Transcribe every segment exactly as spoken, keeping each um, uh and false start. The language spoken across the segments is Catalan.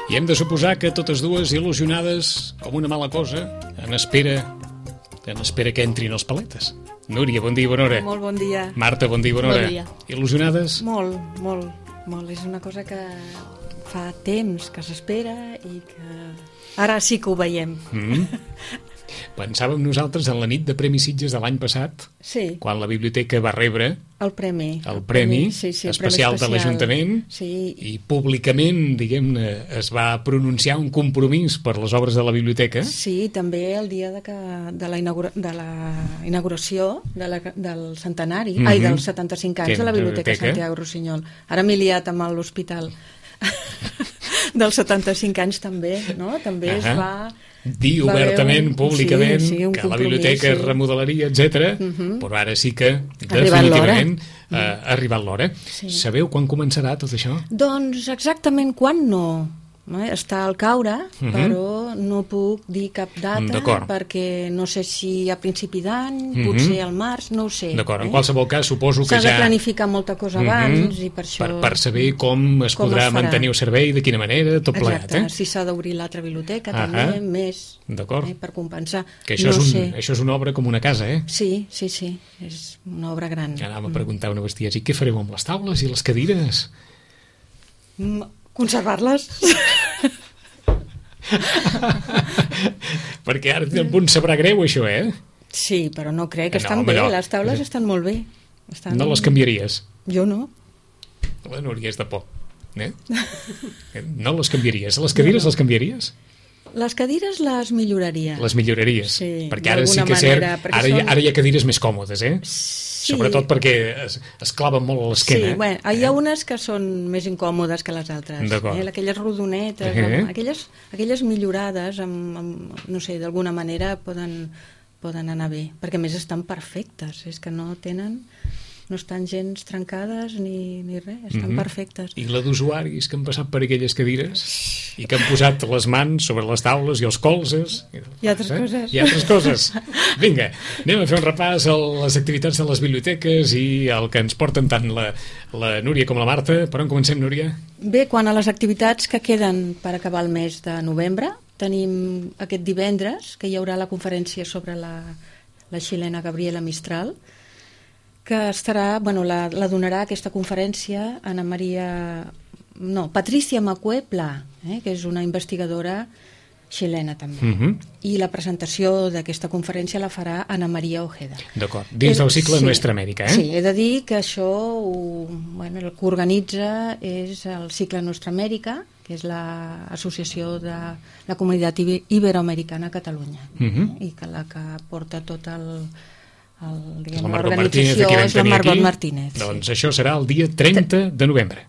I hem de suposar que totes dues il·lusionades com una mala cosa, en espera, en espera que entrin els paletes. Núria, bon dia i bona hora. Molt bon dia. Marta, bon dia i bona hora. Bon dia. Il·lusionades? Molt, molt, molt. És una cosa que fa temps que s'espera i que ara sí que ho veiem. Mm. Pensàvem nosaltres en la nit de Premi Sitges de l'any passat, Sí, quan la biblioteca va rebre el premi. el premi sí, sí, el especial premi de l'Ajuntament Sí, i públicament, diguem-ne, es va pronunciar un compromís per les obres de la biblioteca. sí, també el dia de, que, de, la, inaugura, de la inauguració de la, del centenari, Mhm. ai, dels setanta-cinc anys Que- de la de la Biblioteca biblioteca. Santiago Rossinyol. Ara m'he liat amb l'hospital dels setanta-cinc anys també, no? També es Ahà. va... Dir va haver obertament, un- públicament, sí, sí, un que la compromís, biblioteca es sí. remodelaria, etcètera. Mhm. Però ara sí que, arribat definitivament, eh, ha arribat l'hora. Sí. Sabeu quan començarà tot això? Doncs exactament quan no. Eh? Està al caure, Mhm. però no puc dir cap data D'acord. perquè no sé si a principi d'any, Mhm. potser al març, no ho sé. D'acord, en eh? qualsevol cas suposo que S'ha de ja... planificar molta cosa Mhm. abans i per això... per, per saber com es com podrà es farà. mantenir el servei, de quina manera, tot plegat, Exacte, eh? si s'ha d'obrir l'altra biblioteca Ahà. també, més, D'acord. eh, per compensar. Que això, no és un, sé. això és una obra com una casa, eh? Sí, sí, sí, és una obra gran. Anàvem a preguntar una bestiesa, i què fareu amb les taules i les cadires? Mm, Conservar-les? Perquè ara té un punt sabrà greu, això, eh? Sí, però no crec, No, estan home, bé, no. les taules estan molt bé. Estan... No les canviaries? Jo no. La Núria és de por. Eh? No les canviaries. Les cadires les canviaries? Les cadires les milloraria. Les milloraries. Sí, perquè ara sí d'alguna que és cert, manera, perquè ara, hi ha, són- ara hi ha cadires més còmodes, eh? Sí. Sobretot perquè es, es claven molt a Sí, l'esquena. bueno, hi ha unes que són més incòmodes que les altres. D'acord. Eh? Aquelles rodonetes, Eh. amb, aquelles, aquelles millorades, amb, amb, no sé, d'alguna manera poden, poden anar bé, perquè a més estan perfectes, és que no tenen... no estan gens trencades ni, ni res, estan Mhm. perfectes. I la d'usuaris que han passat per aquelles cadires i que han posat les mans sobre les taules i els colzes. I altres coses. I altres coses. Vinga, anem a fer un repàs a les activitats de les biblioteques i el que ens porten tant la, la Núria com la Marta. Per on comencem, Núria? Bé, quan a les activitats que queden per acabar el mes de novembre, tenim aquest divendres, que hi haurà la conferència sobre la, la xilena Gabriela Mistral, que estarà, bueno, la, la donarà aquesta conferència Ana Maria... No, Patricia Macue Pla, eh, que és una investigadora xilena també. Mhm. I la presentació d'aquesta conferència la farà Ana Maria Ojeda. D'acord, dins del cicle Sí. Nuestra Amèrica, eh? Sí, he de dir que això ho, bueno, el que organitza és el cicle Nostra Amèrica, que és l'associació de la comunitat ibe- iberoamericana a Catalunya, Mhm. i que la que porta tot el, el, diguem, La Margot Martínez, de l'organització qui vam és la tenir Margot aquí. Martínez. Sí. Doncs això serà el dia trenta de novembre.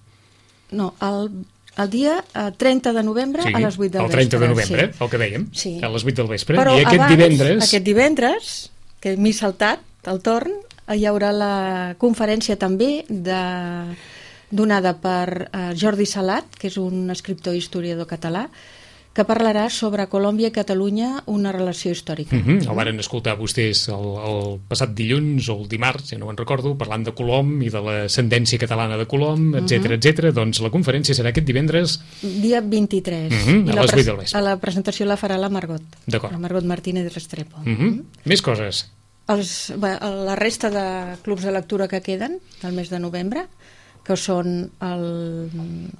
No, el, el dia eh, trenta de novembre Sí, a les vuit del el trenta vespre. de novembre, sí. el que dèiem, Sí. a les vuit del vespre. Però I aquest abans, divendres... aquest divendres, que m'he saltat el torn, hi haurà la conferència també de, donada per eh, Jordi Salat, que és un escriptor i historiador català, que parlarà sobre Colòmbia i Catalunya, una relació històrica. Uh -huh. El varen escoltar vostès el, el passat dilluns o el dimarts, ja no me'n recordo, parlant de Colom i de l'ascendència catalana de Colom, etcètera, etcètera. Doncs la conferència serà aquest divendres. Dia vint-i-tres. Mhm, I a la les pres- vuit del vespre. a la presentació la farà la Margot. D'acord. La Margot Martínez Restrepo. Uh -huh. Més coses. Els, bé, la resta de clubs de lectura que queden del mes de novembre, que són el,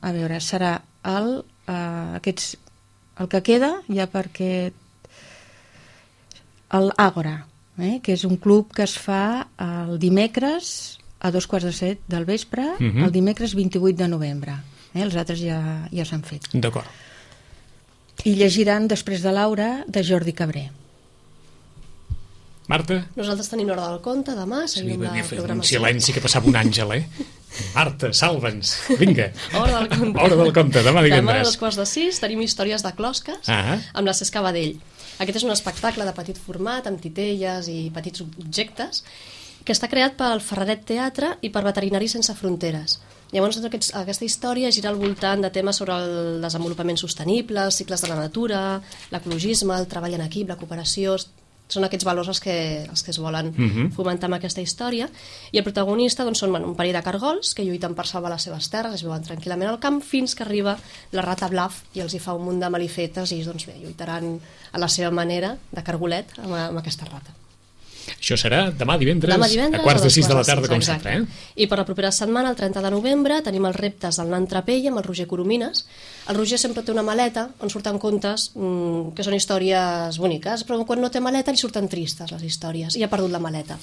a veure, serà el, eh, aquests, el que queda ja perquè el Àgora, eh, que és un club que es fa el dimecres a dos quarts de set del vespre, Uh -huh. el dimecres vint-i-vuit de novembre, eh, els altres ja, ja s'han fet, D'acord. i llegiran Després de Laura de Jordi Cabré. Marta? Nosaltres tenim l'hora del conte demà, Sí, seguim la un programació. silenci que passava un àngel, eh? Marta, salva'ns. Vinga. Hora del conte. Hora del conte, demà Demà a divendres. dos quarts de sis tenim històries de closques Ah. amb la Cesc Badell. Aquest és un espectacle de petit format, amb titelles i petits objectes, que està creat pel Ferraret Teatre i per Veterinaris Sense Fronteres. Llavors, aquests, aquesta història gira al voltant de temes sobre el desenvolupament sostenible, els cicles de la natura, l'ecologisme, el treball en equip, la cooperació... Són aquests valors els que, els que es volen Mhm. fomentar amb aquesta història. I el protagonista doncs, són bueno, un parell de cargols que lluiten per salvar les seves terres, es viuen tranquil·lament al camp, fins que arriba la rata Bluff i els hi fa un munt de malifetes i doncs, bé, lluitaran a la seva manera de cargolet amb, amb aquesta rata. Això serà demà divendres, Demà divendres a quarts a de dos sis de la quarts de tarda, sis, com exacte. sempre. Eh? I per la propera setmana, el trenta de novembre, tenim els reptes del nan Trapell amb el Roger Coromines. El Roger sempre té una maleta on surten contes mmm, que són històries boniques, però quan no té maleta li surten tristes les històries i ha perdut la maleta.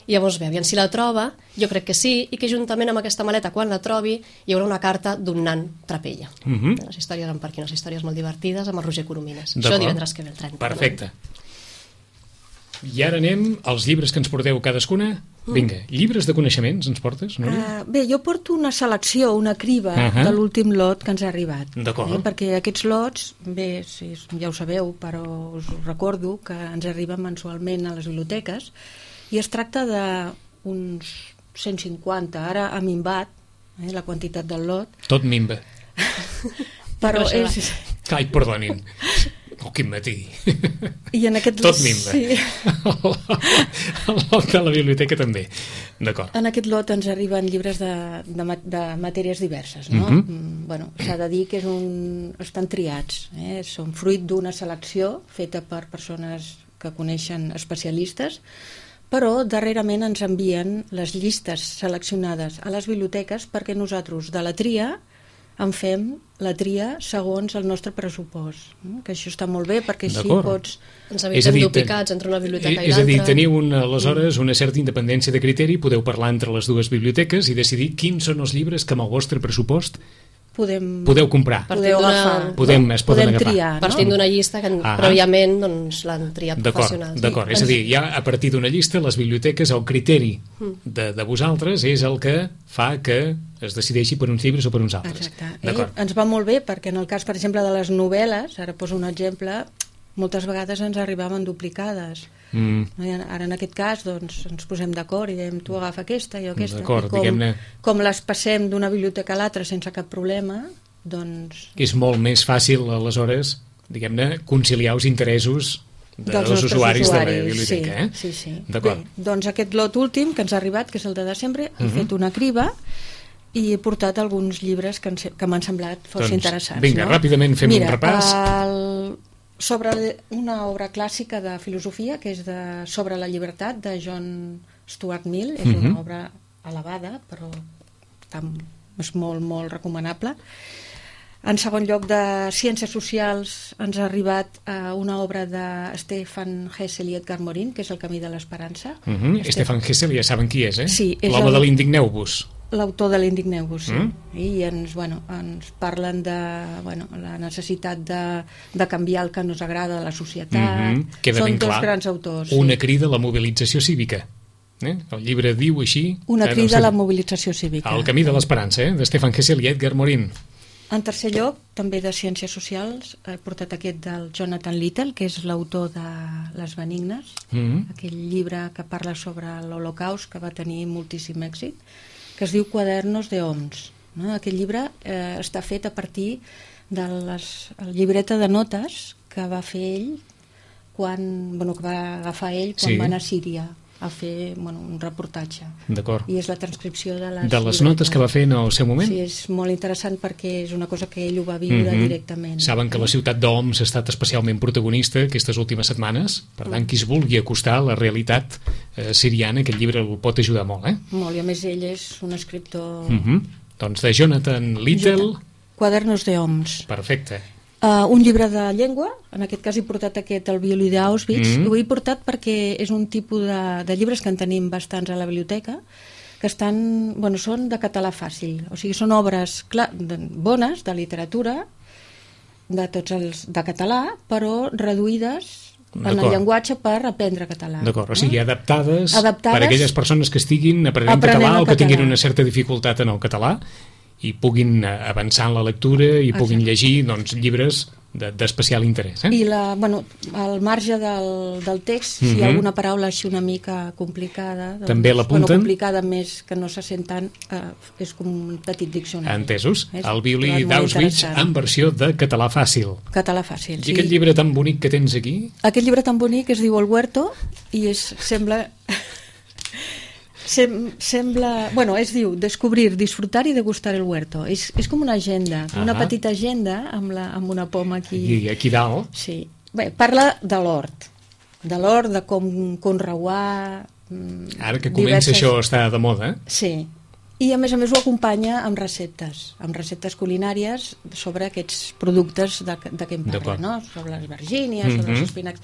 I llavors, bé, aviam si la troba, jo crec que sí, i que juntament amb aquesta maleta, quan la trobi, hi haurà una carta d'un nan Trapella. Mhm. Les històries van per aquí, unes històries molt divertides amb el Roger Coromines. D'acord. Això divendres que ve, el trenta. Perfecte. I ara anem als llibres que ens porteu cadascuna. Vinga, llibres de coneixements ens portes, Núria? Uh, bé, jo porto una selecció, una criba uh Ahà. -huh. de l'últim lot que ens ha arribat. D'acord. Eh? Perquè aquests lots, bé, sí, ja ho sabeu, però us ho recordo que ens arriben mensualment a les biblioteques i es tracta d'uns cent cinquanta, ara ha minvat eh, la quantitat del lot, Tot minva. però Però això és... Ai, perdonin. Oh, quin matí. I en aquest Tot minva. Sí. El lot de la biblioteca també. D'acord. En aquest lot ens arriben llibres de, de, ma- de matèries diverses, no? Mhm. Mm, bueno, s'ha de dir que és un... estan triats, eh? Són fruit d'una selecció feta per persones que coneixen especialistes, però darrerament ens envien les llistes seleccionades a les biblioteques perquè nosaltres de la tria en fem la tria segons el nostre pressupost, eh? Que això està molt bé perquè així D'acord. pots... Ens És a evitem dir, duplicats entre una biblioteca i És a l'altra. dir, teniu una, aleshores una certa independència de criteri, podeu parlar entre les dues biblioteques i decidir quins són els llibres que amb el vostre pressupost Podem, podeu comprar. Partint podeu d'una- agafar. Podem- es poden podem agafar. triar, no? Partint d'una llista que Ah. prèviament doncs, l'han triat D'acord, professionals. d'acord. És a dir, ja a partir d'una llista, les biblioteques, el criteri Mm. de, de vosaltres és el que fa que es decideixi per uns llibres o per uns altres. Exacte. Eh? D'acord. Ens va molt bé perquè en el cas, per exemple, de les novel·les, ara poso un exemple, moltes vegades ens arribaven duplicades. Mm, No? I ara en aquest cas doncs, ens posem d'acord i diem tu agafa aquesta, jo aquesta. D'acord, I com, diguem-ne- com les passem d'una biblioteca a l'altra sense cap problema, doncs... és molt més fàcil, aleshores, diguem-ne, conciliar els interessos de, dels nostres usuaris, de la biblioteca. sí, Eh? sí, sí. D'acord. Bé, doncs aquest lot últim que ens ha arribat, que és el de desembre, he Mhm. fet una criba i he portat alguns llibres que, ens, que m'han semblat força Doncs, interessants. vinga, no? ràpidament fem Mira, un repàs. El, sobre una obra clàssica de filosofia, que és de Sobre la llibertat, de John Stuart Mill, és Mhm. una obra elevada, però tam, és molt, molt recomanable. En segon lloc, de Ciències Socials ens ha arribat eh, una obra de Stefan Hessel i Edgar Morin, que és El camí de l'esperança. Uh -huh. Este- Stefan Hessel, ja saben qui és, eh? Sí, és l'home el- de l'Indigneu-vos. L'autor de l'Indigneu-vos, sí. Mm. I ens, bueno, ens parlen de bueno, la necessitat de, de canviar el que no ens agrada de la societat. Mhm. Queda Són ben dos clar. grans autors. Una sí. crida a la mobilització cívica. Eh? El llibre diu així... Una eh, crida no a la sé, mobilització cívica. El camí de l'esperança, eh? de Stefan Hessel i Edgar Morin. En tercer lloc, també de Ciències Socials, he portat aquest del Jonathan Little, que és l'autor de Les Benignes, Mm. aquell llibre que parla sobre l'Holocaust, que va tenir moltíssim èxit, que es diu Quadernos de Homs. No? Aquest llibre eh, està fet a partir de les, la llibreta de notes que va fer ell quan, bueno, que va agafar ell quan Sí. va anar a Síria a fer bueno, un reportatge. D'acord. I és la transcripció de les, De les notes que va fer en el seu moment. Sí, és molt interessant perquè és una cosa que ell ho va viure Mhm. directament. Saben que la ciutat d'Oms ha estat especialment protagonista aquestes últimes setmanes, per tant, qui es vulgui acostar a la realitat eh, siriana, aquest llibre el pot ajudar molt, eh? Molt, i a més ell és un escriptor... Mhm. Doncs de Jonathan Little, Quadernos de Homs. perfecte. Uh, un llibre de llengua, en aquest cas he portat aquest, el violí d'Auschwitz, Mhm. i ho he portat perquè és un tipus de, de llibres que en tenim bastants a la biblioteca, que estan, bueno, són de català fàcil, o sigui, són obres clar, de, bones, de literatura, de tots els de català, però reduïdes en el D'acord. llenguatge per aprendre català. D'acord, o sigui, adaptades, Adaptades per a aquelles persones que estiguin aprenent, aprenent català el o que tinguin català. una certa dificultat en el català i puguin eh, avançar en la lectura i puguin Exacte. llegir doncs, llibres d'especial interès. Eh? I la, bueno, al marge del, del text, si hi ha alguna paraula així una mica complicada, doncs, també l'apunten. Bueno, complicada més que no se sent tant, eh, és com un petit diccionari. Entesos. És, el violí d'Auschwitz en versió de català fàcil. Català fàcil, sí. I aquest llibre tan bonic que tens aquí? Aquest llibre tan bonic es diu El Huerto i és, sembla... Sem, sembla... Bueno, es diu Descobrir, disfrutar i degustar el huerto. És, és com una agenda, uh -huh. una petita agenda amb, la, amb una poma aquí. I aquí dalt. Sí. Bé, parla de l'hort, de l'hort, de com conreuar... Ara que comença diverses... això està de moda. Sí. I a més a més ho acompanya amb receptes, amb receptes culinàries sobre aquests productes de, de què em parla, no? Sobre les vergínies, uh -huh. sobre els espinacs...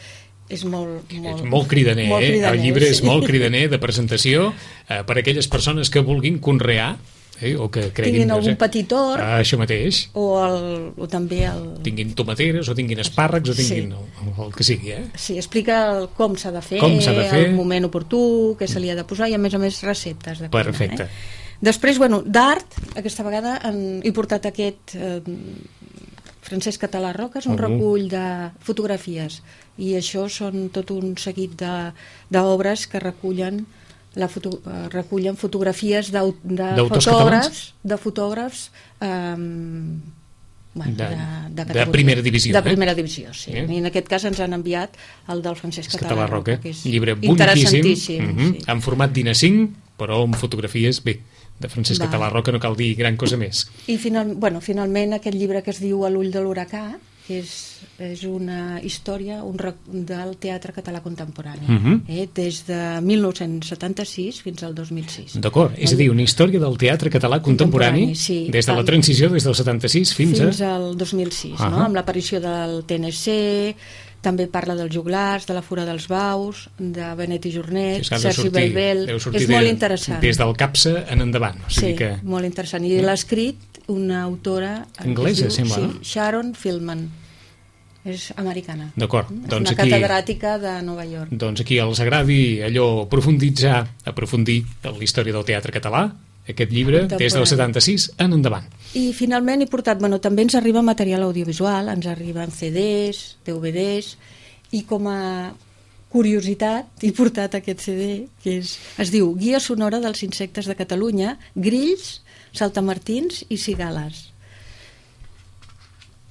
És molt, molt, és molt cridaner, molt cridaner, eh? El llibre sí. és molt cridaner de presentació eh, per a aquelles persones que vulguin conrear eh, o que creguin... Tinguin algun petit hort. Ah, això mateix. O, el, o també el... Tinguin tomateres o tinguin espàrrecs o tinguin sí. el, el que sigui, eh? Sí, explica el, com s'ha de fer, com s'ha de fer, el moment oportú, què se li ha de posar i a més a més receptes de cuina. Perfecte. Eh? Després, bueno, d'art, aquesta vegada han, he portat aquest... Eh, Francesc Català Roca, és un uh -huh. recull de fotografies i això són tot un seguit d'obres que recullen la foto, recullen fotografies de, de fotògrafs de fotògrafs eh, bueno, de, de, de, de primera divisió de eh? primera divisió, sí. Eh? I en aquest cas ens han enviat el del Francesc Català, Català Roca, que és llibre interessantíssim, uh -huh. sí. en format d'I N A cinc però amb fotografies, bé, de Francesc Va. Català Roca no cal dir gran cosa més. I final, bueno, finalment aquest llibre que es diu A l'ull de l'huracà, que és, és una història un rec... del teatre català contemporani, uh -huh. eh? des de mil nou-cents setanta-sis fins al dos mil sis. D'acord, és a dir, una història del teatre català contemporani, contemporani sí, des de la transició, des del setanta-sis fins, fins a... al dos mil sis, uh -huh. no? Amb l'aparició del T N C, també parla dels joglars, de la Fura dels Baus, de Benet i Jornet, sí, Sergi Bellbel, és molt de, interessant. Des del CAPSA en endavant. O sigui sí, que... molt interessant. I l'ha escrit una autora... Anglesa, sembla. Sí, Sharon Fieldman. És americana. D'acord. És doncs una aquí, catedràtica de Nova York. Doncs aquí els agradi allò profunditzar, aprofundir en la història del teatre català, aquest llibre, des del setanta-sis en endavant. I finalment he portat, bueno, també ens arriba material audiovisual, ens arriben C Ds, D V Ds, i com a curiositat he portat aquest C D, que és, es diu Guia sonora dels insectes de Catalunya, grills, saltamartins i cigales.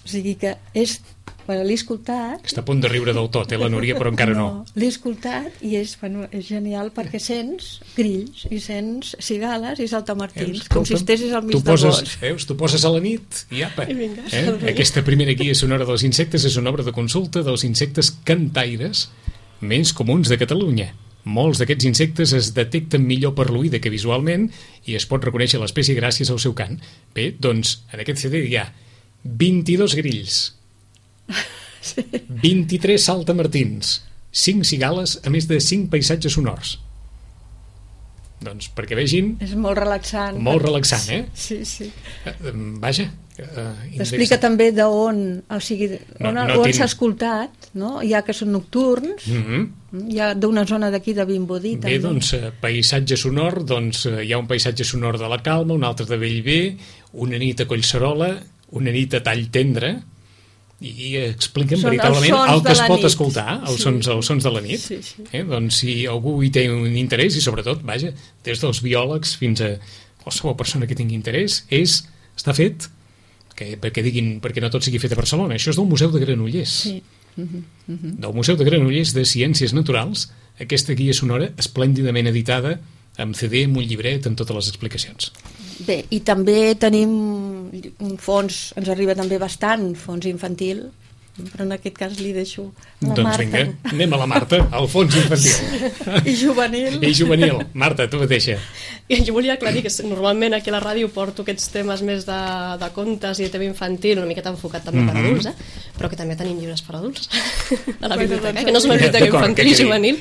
O sigui que és... Bueno, l'he escoltat... Està a punt de riure del tot, eh, la Núria, però encara no. no. L'he escoltat i és, bueno, és genial perquè sents grills i sents cigales i saltamartins, Eus, com si estessis al mig de bosc. Veus, tu poses a la nit i apa. I vinga, eh? Aquesta primera guia sonora dels insectes és una obra de consulta dels insectes cantaires més comuns de Catalunya. Molts d'aquests insectes es detecten millor per l'oïda que visualment i es pot reconèixer l'espècie gràcies al seu cant. Bé, doncs, en aquest C D hi ha vint-i-dos grills, sí. vint-i-tres saltamartins, cinc cigales, a més de cinc paisatges sonors. Doncs perquè vegin... És molt relaxant. Molt relaxant, eh? Sí, sí. Uh, vaja. Uh, T'explica també d'on, o sigui, no, on, no on tinc... s'ha escoltat, no? Hi ha que són nocturns, mm -hmm. hi ha d'una zona d'aquí de Vimbodí. Bé, també. Doncs, paisatge sonor, doncs hi ha un paisatge sonor de la Calma, un altre de Bellver, una nit a Collserola, una nit a Tall Tendre, i expliquen són veritablement el que es pot nit. escoltar, els, sí. sons, els sons de la nit. Sí, sí. Eh? Doncs si algú hi té un interès, i sobretot, vaja, des dels biòlegs fins a qualsevol persona que tingui interès, és, està fet, que, perquè, diguin, perquè no tot sigui fet a Barcelona. Això és del Museu de Granollers. Sí. Uh -huh, uh -huh. Del Museu de Granollers de Ciències Naturals, aquesta guia sonora esplèndidament editada amb C D, amb un llibret, amb totes les explicacions. Bé, i també tenim un fons, ens arriba també bastant, fons infantil, però en aquest cas li deixo a la doncs Marta. Doncs vinga, anem a la Marta, al fons infantil. Sí. I juvenil. I juvenil. Marta, tu mateixa. Jo volia aclarir que normalment aquí a la ràdio porto aquests temes més de, de contes i de tema infantil, una miqueta enfocat també mm -hmm. per adults, eh? Però que també tenim llibres per adults a la biblioteca, eh? Que no és una biblioteca infantil i juvenil,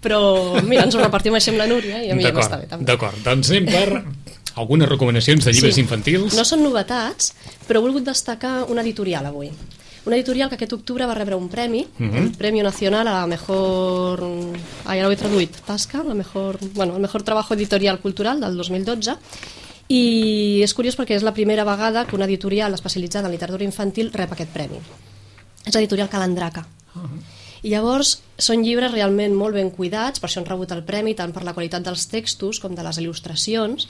però mira, ens ho repartim així amb la Núria i a mi ja m'està bé també. D'acord, doncs anem per algunes recomanacions de llibres sí. infantils. No són novetats, però he volgut destacar una editorial avui. Una editorial que aquest octubre va rebre un premi, uh -huh. el Premio Nacional a la mejor... Ah, ja l'ho he traduït. Tasca, la mejor... Bueno, el mejor trabajo editorial cultural del dos mil dotze. I és curiós perquè és la primera vegada que una editorial especialitzada en literatura infantil rep aquest premi. és l'editorial Calandraca. Uh -huh. I llavors són llibres realment molt ben cuidats, per això han rebut el premi tant per la qualitat dels textos com de les il·lustracions,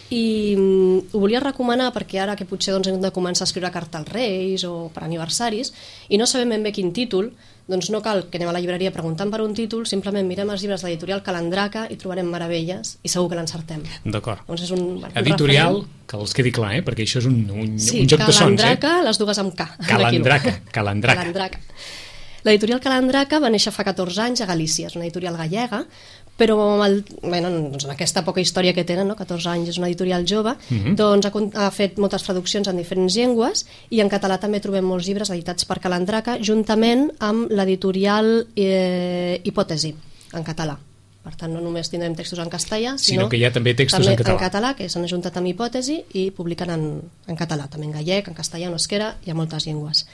i mm, ho volia recomanar perquè ara que potser doncs, hem de començar a escriure carta als Reis o per aniversaris i no sabem ben bé quin títol, doncs no cal que anem a la llibreria preguntant per un títol, simplement mirem els llibres de l'editorial Calandraca i trobarem meravelles i segur que l'encertem. D'acord. Doncs és un, un editorial, referent. Que els quedi clar, eh? Perquè això és un, un, sí, un joc de sons. Calandraca, eh? les dues amb K. Calandraca, Calandraca. Calandraca. L'editorial Calandraca va néixer fa catorze anys a Galícia, és una editorial gallega, però amb, el, bueno, doncs amb aquesta poca història que tenen, no? catorze anys, és una editorial jove, uh-huh. doncs ha, ha fet moltes traduccions en diferents llengües i en català també trobem molts llibres editats per Calandraca juntament amb l'editorial eh, Hipòtesi, en català. Per tant, no només tindrem textos en castellà, sinó, sinó que hi ha també textos també en català. en català, que s'han ajuntat amb Hipòtesi i publiquen en, en català, també en gallec, en castellà, en euskera, hi ha moltes llengües.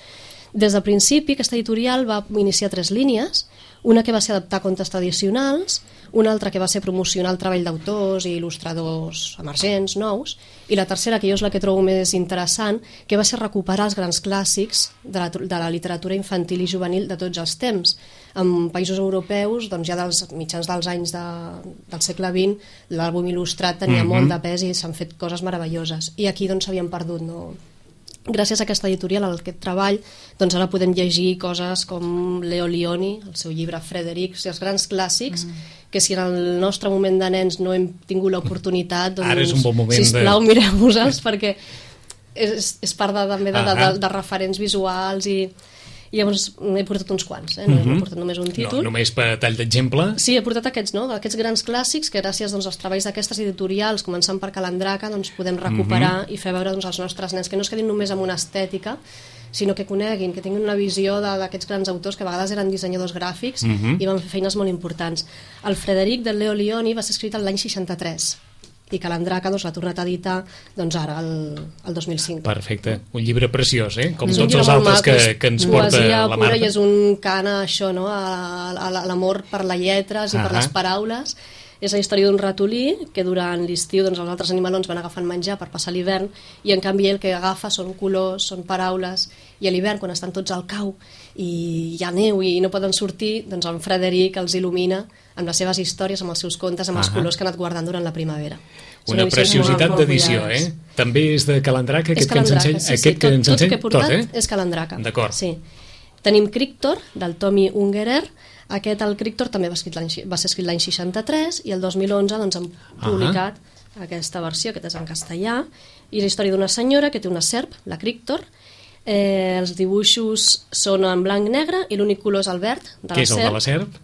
Des del principi, aquesta editorial va iniciar tres línies, una que va ser adaptar contes tradicionals, una altra que va ser promocionar el treball d'autors i il·lustradors emergents, nous, i la tercera, que jo és la que trobo més interessant, que va ser recuperar els grans clàssics de la, de la literatura infantil i juvenil de tots els temps. En països europeus, doncs ja dels mitjans dels anys de, del segle vint, l'àlbum il·lustrat tenia mm-hmm. molt de pes i s'han fet coses meravelloses. I aquí doncs s'havien perdut, no? Gràcies a aquesta editorial, a aquest treball, doncs ara podem llegir coses com Leo Lionni, el seu llibre Frederic, els grans clàssics, mm. que si en el nostre moment de nens no hem tingut l'oportunitat, doncs, ara és un bon moment sisplau, de... mireu-vos-els, perquè és, és part de, també de, de, de, de referents visuals i... I llavors he portat uns quants, eh? no uh-huh. he portat només un títol. No, només per tall d'exemple. Sí, he portat aquests, no? Aquests grans clàssics que gràcies doncs, als treballs d'aquestes editorials, començant per Calandraca, doncs, podem recuperar uh-huh. i fer veure doncs, als nostres nens, que no es quedin només amb una estètica, sinó que coneguin, que tinguin una visió d'aquests grans autors que a vegades eren dissenyadors gràfics uh-huh. i van fer feines molt importants. El Frederic del Leo Lionni va ser escrit l'any seixanta-tres i Calandraca doncs, l'ha tornat a editar doncs, ara, el, el dos mil cinc. Perfecte, un llibre preciós, eh? Com és tots els altres maco, que, que ens porta la Marta. I és un cant a això, no? a, a, a l'amor per les lletres i uh-huh. per les paraules. És la història d'un ratolí que durant l'estiu doncs, els altres animalons van agafant menjar per passar l'hivern i en canvi el que agafa són colors, són paraules, i a l'hivern quan estan tots al cau i hi ha neu i no poden sortir, doncs en Frederic els il·lumina amb les seves històries, amb els seus contes, amb els uh-huh. colors que ha anat guardant durant la primavera. Una preciositat d'edició, eh? També és de Calandraca, aquest que ens ensenya? Sí, sí, aquest tot, que ens tot ensenya? el que he portat tot, eh? és Calandraca. D'acord. Sí. Tenim Crictor, del Tommy Ungerer. Aquest, el Crictor, també va, va ser escrit l'any seixanta-tres i el dos mil onze doncs, han publicat uh-huh. aquesta versió, que és en castellà, i és la història d'una senyora que té una serp, la Crictor. Eh, els dibuixos són en blanc i negre i l'únic color és el verd de la serp. Què és el de la serp?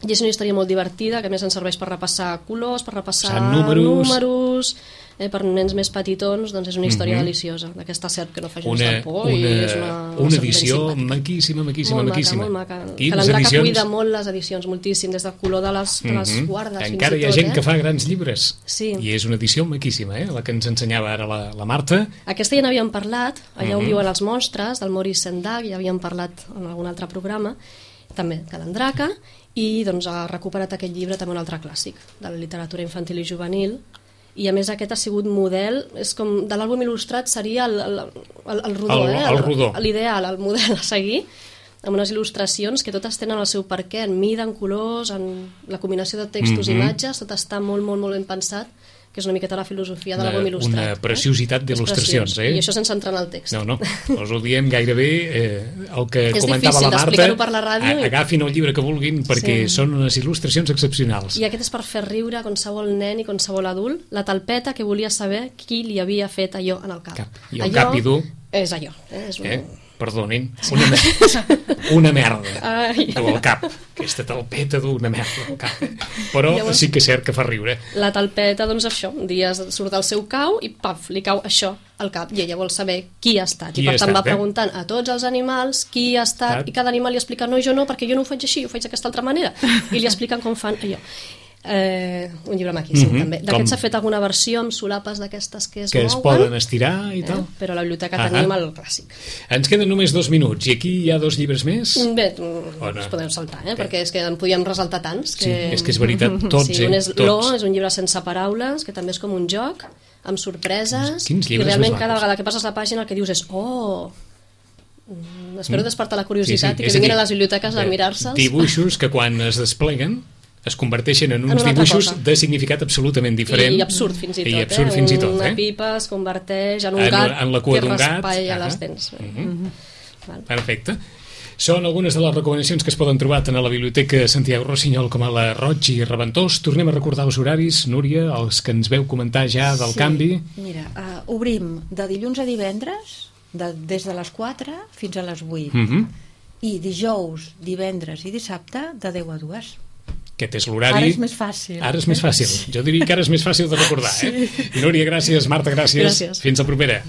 I és una història molt divertida, que a més ens serveix per repassar colors, per repassar números, números eh, per nens més petitons, doncs és una història mm-hmm. deliciosa, d'aquesta serp que no fa gens de por. Una, i és una, una edició maquíssima, maquíssima, molt maquíssima. Molt maca, molt maca. Quines Calandraca edicions? cuida molt les edicions, moltíssim, des del color de les, de les mm-hmm. guardes. Encara fins hi ha tot, gent eh? que fa grans llibres. Sí. I és una edició maquíssima, eh? La que ens ensenyava ara la, la Marta. Aquesta ja n'havíem parlat, allà mm-hmm. on viuen els monstres, del Maurice Sendak, ja havíem parlat en algun altre programa, també Calandraca, i doncs, ha recuperat aquest llibre també un altre clàssic de la literatura infantil i juvenil, i a més aquest ha sigut model, és com de l'àlbum il·lustrat seria el, el, el, el rodó, el, eh? el rodó. L'ideal, el model a seguir, amb unes il·lustracions que totes tenen el seu perquè, en mida, en colors, en la combinació de textos i mm-hmm. imatges, tot està molt, molt, molt ben pensat, que és una miqueta la filosofia de l'àlbum il·lustrat. Una preciositat eh? d'il·lustracions, eh? I això sense entrar en el text. No, no, us ho diem gairebé eh, el que és comentava la Marta. Per la ràdio a, agafin el llibre que vulguin perquè sí. són unes il·lustracions excepcionals. I aquest és per fer riure a qualsevol nen i qualsevol adult, la talpeta que volia saber qui li havia fet allò en el cap. cap. I el allò cap i dur... És allò. Eh? És un... eh? Perdonin, una, mer una merda Ai. al cap. Aquesta talpeta d'una merda al cap. Però llavors, sí que és cert que fa riure. La talpeta, doncs això, un dia surt del seu cau i paf, li cau això al cap i ella vol saber qui ha estat. Qui I per tant estat, va preguntant a tots els animals qui ha estat, estat i cada animal li explica no, jo no, perquè jo no ho faig així, ho faig d'aquesta altra manera. I li expliquen com fan allò. Eh, un llibre maquíssim, mm-hmm. també. D'aquest s'ha fet alguna versió amb solapes d'aquestes que es que mouen. es poden estirar i tal. Eh? Però a la biblioteca ah tenim el clàssic. Ens queden només dos minuts i aquí hi ha dos llibres més? Bé, no? ens podem saltar, eh? perquè és que en podíem resaltar tants. Que... Sí, és que és veritat, tots, sí, un és eh? Tots. Lo, és un llibre sense paraules, que també és com un joc, amb sorpreses, Quins, quins i realment cada vegada que passes la pàgina el que dius és oh, Mm, espero despertar la curiositat Sí, sí, i és que a vinguin dir, a les biblioteques a de- mirar-se'ls. Dibuixos que quan es despleguen es converteixen en En uns una altra dibuixos cosa. de significat absolutament diferent. I, I absurd fins i tot, I absurd eh? fins i tot, Una eh? pipa es converteix en un En- gat en la cua que d'un gat. raspalla Ah, les dents. mhm. Val. Perfecte. Són algunes de les recomanacions que es poden trobar tant a la Biblioteca Santiago Rossinyol com a la Roig i Reventós. Tornem a recordar els horaris, Núria, els que ens veu comentar ja del Sí, canvi. Mira, uh, obrim de dilluns a divendres, de, des de les quatre fins a les vuit. Mhm. I dijous, divendres i dissabte, de deu a dues. Aquest és l'horari. Ara és més fàcil. Ara és més fàcil. Jo diria que ara és més fàcil de recordar, eh? Núria, gràcies. Marta, gràcies. Gràcies. Fins la propera.